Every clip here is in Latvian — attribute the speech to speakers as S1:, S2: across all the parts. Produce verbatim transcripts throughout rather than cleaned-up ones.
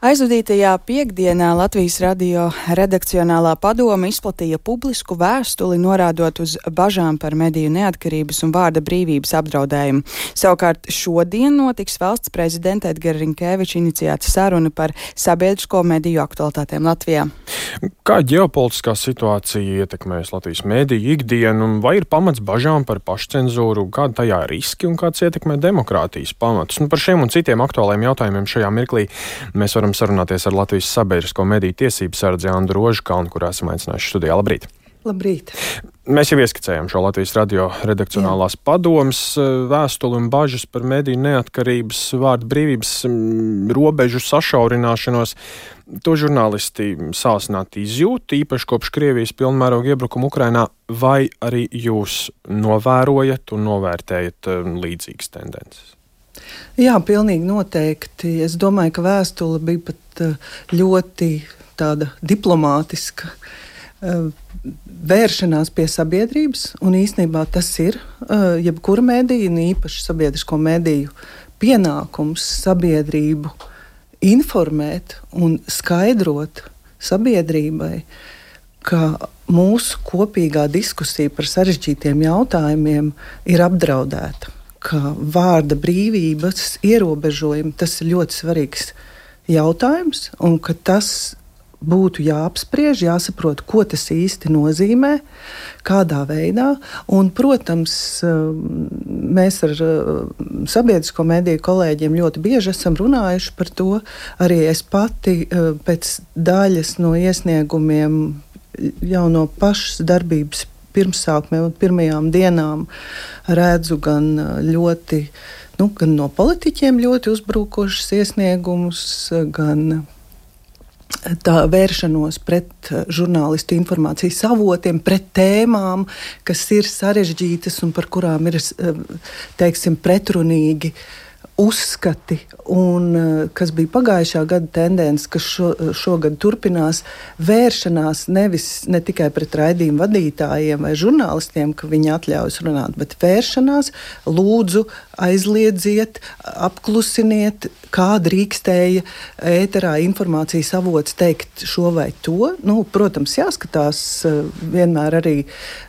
S1: Aizvadītajā piekdienā Latvijas radio redakcionālā padome izplatīja publisku vēstuli, norādot uz bažām par mediju neatkarības un vārda brīvības apdraudējumu. Savukārt šodien notiks valsts prezidenta Edgara Rinkēviča iniciēta saruna par sabiedrisko mediju aktualitātēm Latvijā.
S2: Kā ģeopolitiskā situācija ietekmēs Latvijas mediju ikdienu, un vai ir pamats bažām par pašcenzūru, kāda tajā ir riski un kāds ietekmē demokrātijas pamatus? Nu, par šiem un citiem aktuāliem jautājumiem šajā mirklī mēs varam sarunāties ar Latvijas sabiedrisko mediju tiesību sardzi Andru Rožkalnu, kurā esam aicinājuši studijā. Labrīt!
S3: Labrīt!
S2: Mēs jau ieskicējām šo Latvijas radio redakcionālās padomes vēstuli un bažas par mediju neatkarības, vārda brīvības robežu sašaurināšanos. To žurnālisti sāsināti izjūt, īpaši kopš Krievijas pilnmēroga iebrukuma Ukrainā, vai arī jūs novērojat un novērtējat līdzīgas tendences?
S3: Jā, pilnīgi noteikti. Es domāju, ka vēstule bija pat ļoti tāda diplomātiska vēršanās pie sabiedrības, un īstenībā tas ir jebkura medija, un īpaši sabiedrisko mediju pienākums sabiedrību informēt un skaidrot sabiedrībai, ka mūsu kopīgā diskusija par sarežģītiem jautājumiem ir apdraudēta, ka vārda brīvības ierobežojumi, tas ir ļoti svarīgs jautājums, un ka tas būtu jāapspriež, jāsaprot, ko tas īsti nozīmē, kādā veidā. Un, protams, mēs ar sabiedrisko mediju kolēģiem ļoti bieži esam runājuši par to. Arī es pati pēc daļas no iesniegumiem jau no pašas darbības pirmsākumiem un pirmajām dienām redzu gan ļoti, nu, gan no politiķiem ļoti uzbrukošas iesniegumus, gan tā vēršanos pret žurnālistu informācijas avotiem, pret tēmām, kas ir sarežģītas un par kurām ir, teiksim, pretrunīgi uzskati, un kas bija pagājušā gada tendence, kas šo, šogad turpinās, vēršanās nevis ne tikai pret raidījumu vadītājiem vai žurnālistiem, ka viņi atļaujas runāt, bet vēršanās, lūdzu, aizliedziet, apklusiniet, kā drīkstēja ēterā informācijas avots teikt šo vai to. Nu, protams, jāskatās vienmēr arī,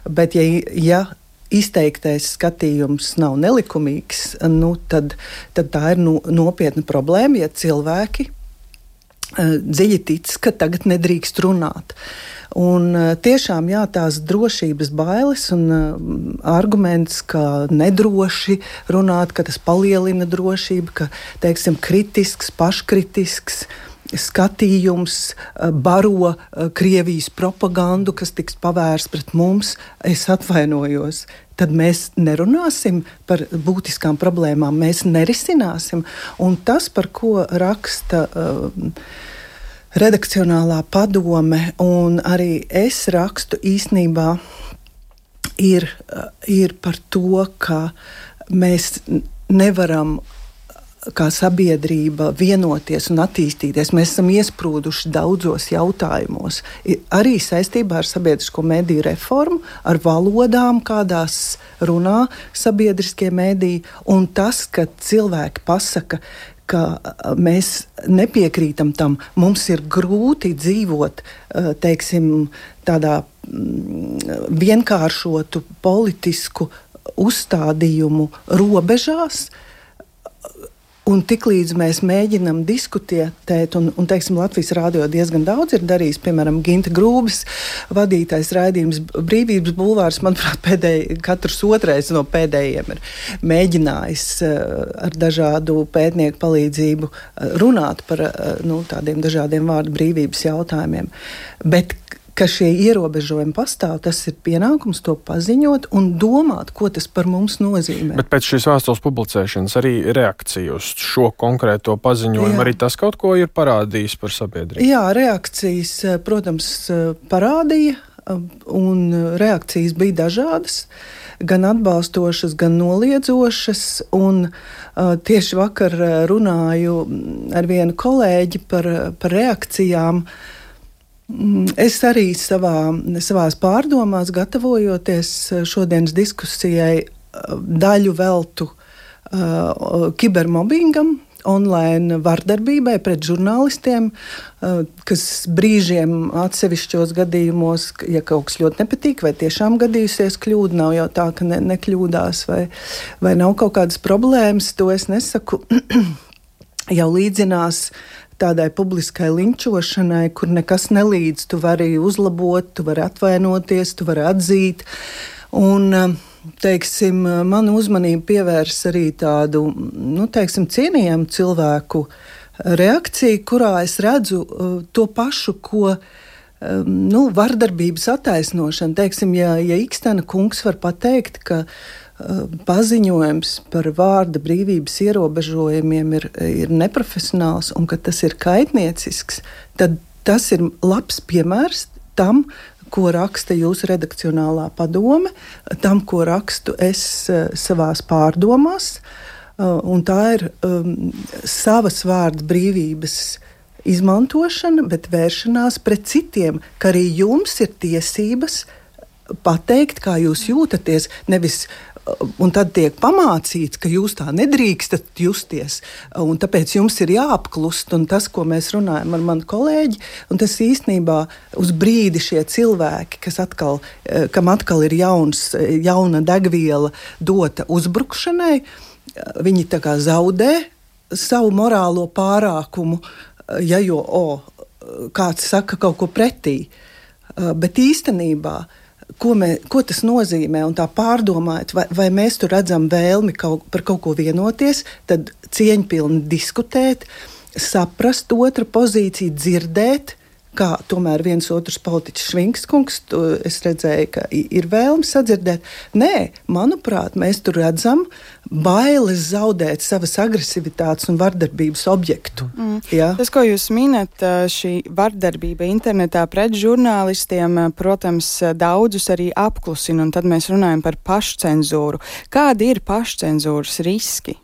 S3: bet ja, ja izteiktais skatījums nav nelikumīgs, nu, tad, tad tā ir nu, nopietna problēma, ja cilvēki uh, dziļi tic, ka tagad nedrīkst runāt. Un uh, tiešām jā, tās drošības bailes un uh, arguments, ka nedroši runāt, ka tas palielina drošību, ka, teiksim, kritisks, paškritisks skatījums baro Krievijas propagandu, kas tiks pavērsts pret mums, es atvainojos. Tad mēs nerunāsim par būtiskām problēmām, mēs nerisināsim. Un tas, par ko raksta uh, redakcionālā padome, un arī es rakstu īstenībā, ir, uh, ir par to, ka mēs nevaram kā sabiedrība vienoties un attīstīties. Mēs esam iesprūduši daudzos jautājumos, arī saistībā ar sabiedrisko mediju reformu, ar valodām, kādās runā sabiedriskie mediji, un tas, ka cilvēki pasaka, ka mēs nepiekrītam tam, mums ir grūti dzīvot, teiksim, tādā vienkāršotu politisku uzstādījumu robežās. Un tiklīdz mēs mēģinam diskutēt, un, un teiksim, Latvijas rādio diezgan daudz ir darījis, piemēram, Ginta Grūbis vadītais raidījums Brīvības bulvārs, manuprāt, pēdēji, katrs otrais no pēdējiem ir mēģinājis ar dažādu pētnieku palīdzību runāt par nu, tādiem dažādiem vārdu brīvības jautājumiem. Bet ka šie ierobežojumi pastāv, tas ir pienākums to paziņot un domāt, ko tas par mums nozīmē.
S2: Bet pēc šīs vēstules publicēšanas arī reakcija uz šo konkrēto paziņojumu, jā. Arī tas kaut ko ir parādījis par sabiedrību?
S3: Jā, reakcijas, protams, parādīja, un reakcijas bija dažādas, gan atbalstošas, gan noliedzošas, un uh, tieši vakar runāju ar vienu kolēģi par, par reakcijām. Es arī savā, savās pārdomās, gatavojoties šodienas diskusijai, daļu veltu uh, kibermobbingam online vardarbībai pret žurnālistiem, kas brīžiem atsevišķos gadījumos, ja kaut kas ļoti nepatīk, vai tiešām gadījusies kļūda, nav jau tā, ka ne, nekļūdās, vai, vai nav kaut kādas problēmas, to es nesaku, jau līdzinās tādai publiskai linčošanai, kur nekas nelīdz, tu vari uzlabot, tu vari atvainoties, tu vari atzīt, un teiksim, manu uzmanību pievērs arī tādu, nu, teiksim, cienījamu cilvēku reakciju, kurā es redzu uh, to pašu, ko um, nu, vardarbības attaisnošana. Teiksim, ja, ja Ikstena kungs var pateikt, ka uh, paziņojums par vārda brīvības ierobežojumiem ir, ir neprofesionāls un ka tas ir kaitniecisks, tad tas ir labs piemērs tam, ko raksta jūsu redakcionālā padome, tam, ko rakstu es uh, savās pārdomās, uh, un tā ir um, savas vārda brīvības izmantošana, bet vēršanās pret citiem, ka arī jums ir tiesības pateikt, kā jūs jūtaties, nevis un tad tiek pamācīts, ka jūs tā nedrīkstat justies, un tāpēc jums ir jāapklust, un tas, ko mēs runājam ar manu kolēģi, un tas īstenībā uz brīdi šie cilvēki, kas atkal, kam atkal ir jauns, jauna degviela dota uzbrukšanai, viņi tā kā zaudē savu morālo pārākumu, ja jo, o, kāds saka kaut ko pretī, bet īstenībā Ko, mē, ko tas nozīmē, un tā pārdomājot, vai, vai mēs tur redzam vēlmi kaut, par kaut ko vienoties, tad cieņpilni diskutēt, saprast otra pozīciju, dzirdēt, kā tomēr viens otrs politiķis Švinkskungs, es redzēju, ka ir vēlme sadzirdēt. Nē, manuprāt, mēs tur redzam bailes zaudēt savas agresivitātes un vardarbības objektu.
S1: Mm. Ja? Tas, ko jūs minat, šī vardarbība internetā pret žurnālistiem, protams, daudzus arī apklusina, un tad mēs runājam par pašcenzūru. Kādi ir pašcenzūras riski?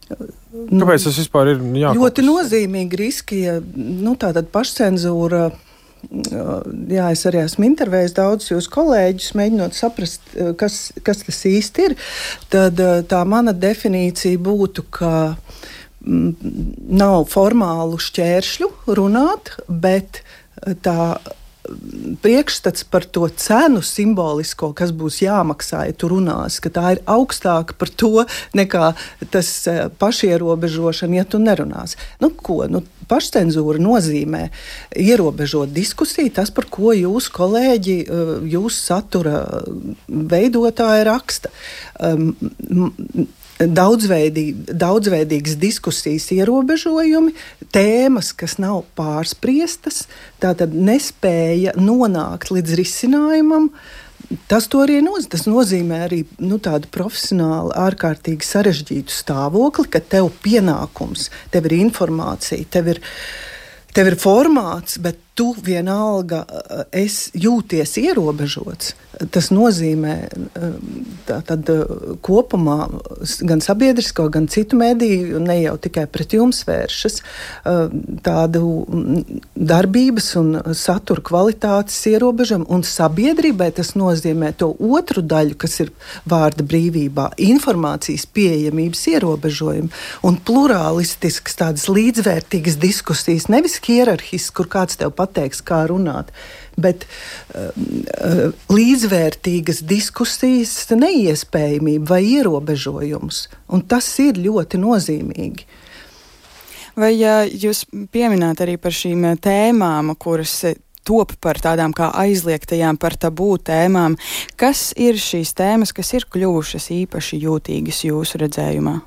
S2: Kāpēc tas vispār ir jākopas?
S3: Ļoti nozīmīgi riski, ja nu, tātad pašcenzūra, jā, es arī esmu intervējis daudz jūs kolēģus, mēģinot saprast, kas, kas tas īsti ir, tad tā mana definīcija būtu, ka m, nav formālu šķēršļu runāt, bet tā priekšstats par to cenu simbolisko, kas būs jāmaksā, ja tu runās, ka tā ir augstāka par to nekā tas pašierobežošana, ja tu nerunās. Nu, ko? Nu, pašcenzūra nozīmē ierobežot diskusiju, tas, par ko jūs, kolēģi, jūs satura veidotāji raksta. Daudzveidīgi, daudzveidīgas diskusijas ierobežojumi, tēmas, kas nav pārspriestas, tātad nespēja nonākt līdz risinājumam. Tas to arī nozīmē. Tas nozīmē arī nu, tādu profesionāli ārkārtīgi sarežģītu stāvokli, ka tev pienākums, tev ir informācija, tev ir, tev ir formāts, bet tu vienalga es jūties ierobežots. Tas nozīmē tā, tad, kopumā gan sabiedrisko, gan citu mediju, ne jau tikai pret jums vēršas, tādu darbības un satura kvalitātes ierobežumu, un sabiedrībai tas nozīmē to otru daļu, kas ir vārda brīvībā, informācijas pieejamības ierobežojumu un plurālistiskas tādas līdzvērtīgas diskusijas, nevis hierarhisks, kur kāds tev pateiks, kā runāt, bet uh, līdzvērtīgas diskusijas neiespējamība vai ierobežojums. Un tas ir ļoti nozīmīgi.
S1: Vai ja jūs piemināt arī par šīm tēmām, kuras top par tādām kā aizliegtajām, par tabū tēmām, kas ir šīs tēmas, kas ir kļuvušas īpaši jūtīgas jūsu redzējumā?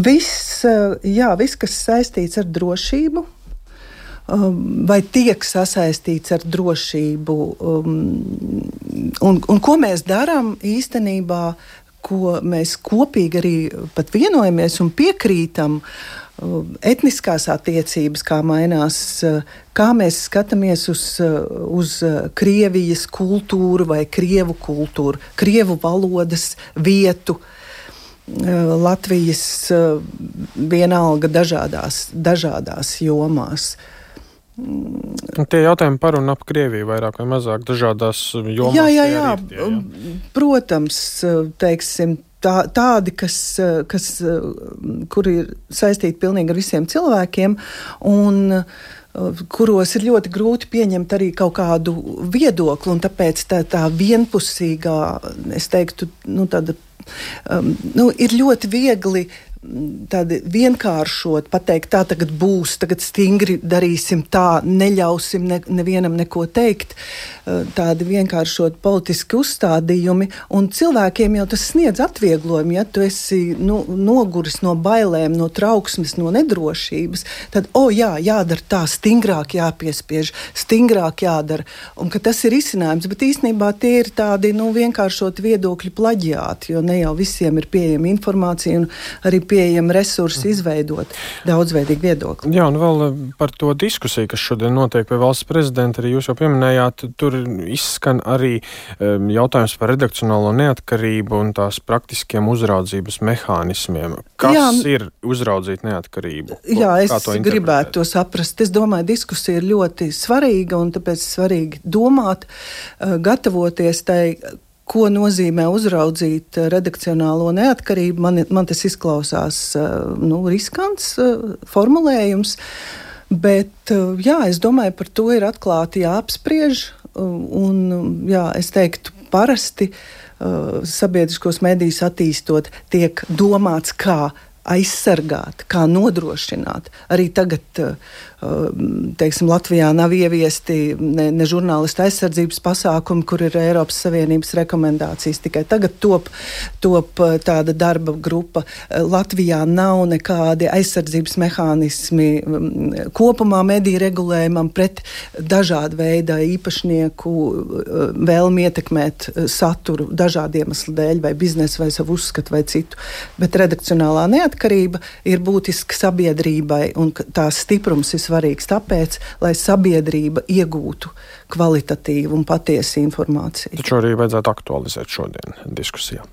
S3: Viss, jā, viss, kas saistīts ar drošību, vai tiek sasaistīts ar drošību, um, un, un ko mēs darām īstenībā, ko mēs kopīgi arī pat vienojamies un piekrītam, um, etniskās attiecības, kā mainās, kā mēs skatāmies uz, uz Krievijas kultūru vai Krievu kultūru, Krievu valodas vietu, Latvijas vienalga dažādās, dažādās jomās.
S2: Tie jautājumi par un ap Krieviju vairāk vai mazāk dažādās jomās.
S3: Jā, jā, jā. Ir tie, jā. Protams, teiksim, tā, tādi, kas, kas, kuri ir saistīti pilnīgi ar visiem cilvēkiem, un kuros ir ļoti grūti pieņemt arī kaut kādu viedokli, un tāpēc tā, tā vienpusīgā, es teiktu, nu, tāda, um, nu, ir ļoti viegli tādi vienkāršot, pateikt, tā tagad būs, tagad stingri darīsim tā, neļausim ne, nevienam neko teikt, tādi vienkāršot politiski uzstādījumi, un cilvēkiem jau tas sniedz atvieglojumu, ja tu esi nu, noguris no bailēm, no trauksmes, no nedrošības, tad, o jā, jādara tā, stingrāk jāpiespiež, stingrāk jādara, un ka tas ir izcinājums, bet īstenībā tie ir tādi, nu, vienkāršot viedokļu plaģiāti, jo ne jau visiem ir pieejama informācija, un arī pieejami resursi izveidot daudzveidīgu viedokli.
S2: Jā, un vēl par to diskusiju, kas šodien notiek pie valsts prezidenta, arī jūs jau pieminējāt, tur izskan arī um, jautājums par redakcionālo neatkarību un tās praktiskiem uzraudzības mehānismiem. Kas jā, ir uzraudzīt neatkarību?
S3: Jā, es to gribētu to saprast. Es domāju, diskusija ir ļoti svarīga, un tāpēc svarīgi domāt, uh, gatavoties tai, ko nozīmē uzraudzīt redakcionālo neatkarību. Man, man tas izklausās nu, riskants formulējums, bet jā, es domāju, par to ir atklāti jāapspriež, un jā, es teiktu, parasti sabiedriskos medijus attīstot tiek domāts, kā aizsargāt, kā nodrošināt. Arī tagad, teiksim, Latvijā nav ieviesti ne, ne žurnālistu aizsardzības pasākumi, kur ir Eiropas Savienības rekomendācijas. Tikai tagad top, top tāda darba grupa. Latvijā nav nekādi aizsardzības mehānismi kopumā mediju regulējumam pret dažādu veidu īpašnieku vēlmi ietekmēt saturu dažādu iemeslu dēļ, vai biznesu, vai savu uzskatu, vai citu. Bet redakcionālā neatkarība ir būtiska sabiedrībai, un tās stiprums ir svarīgs tāpēc, lai sabiedrība iegūtu kvalitatīvu un patiesu informāciju.
S2: Taču arī vajadzētu aktualizēt šodien diskusijā.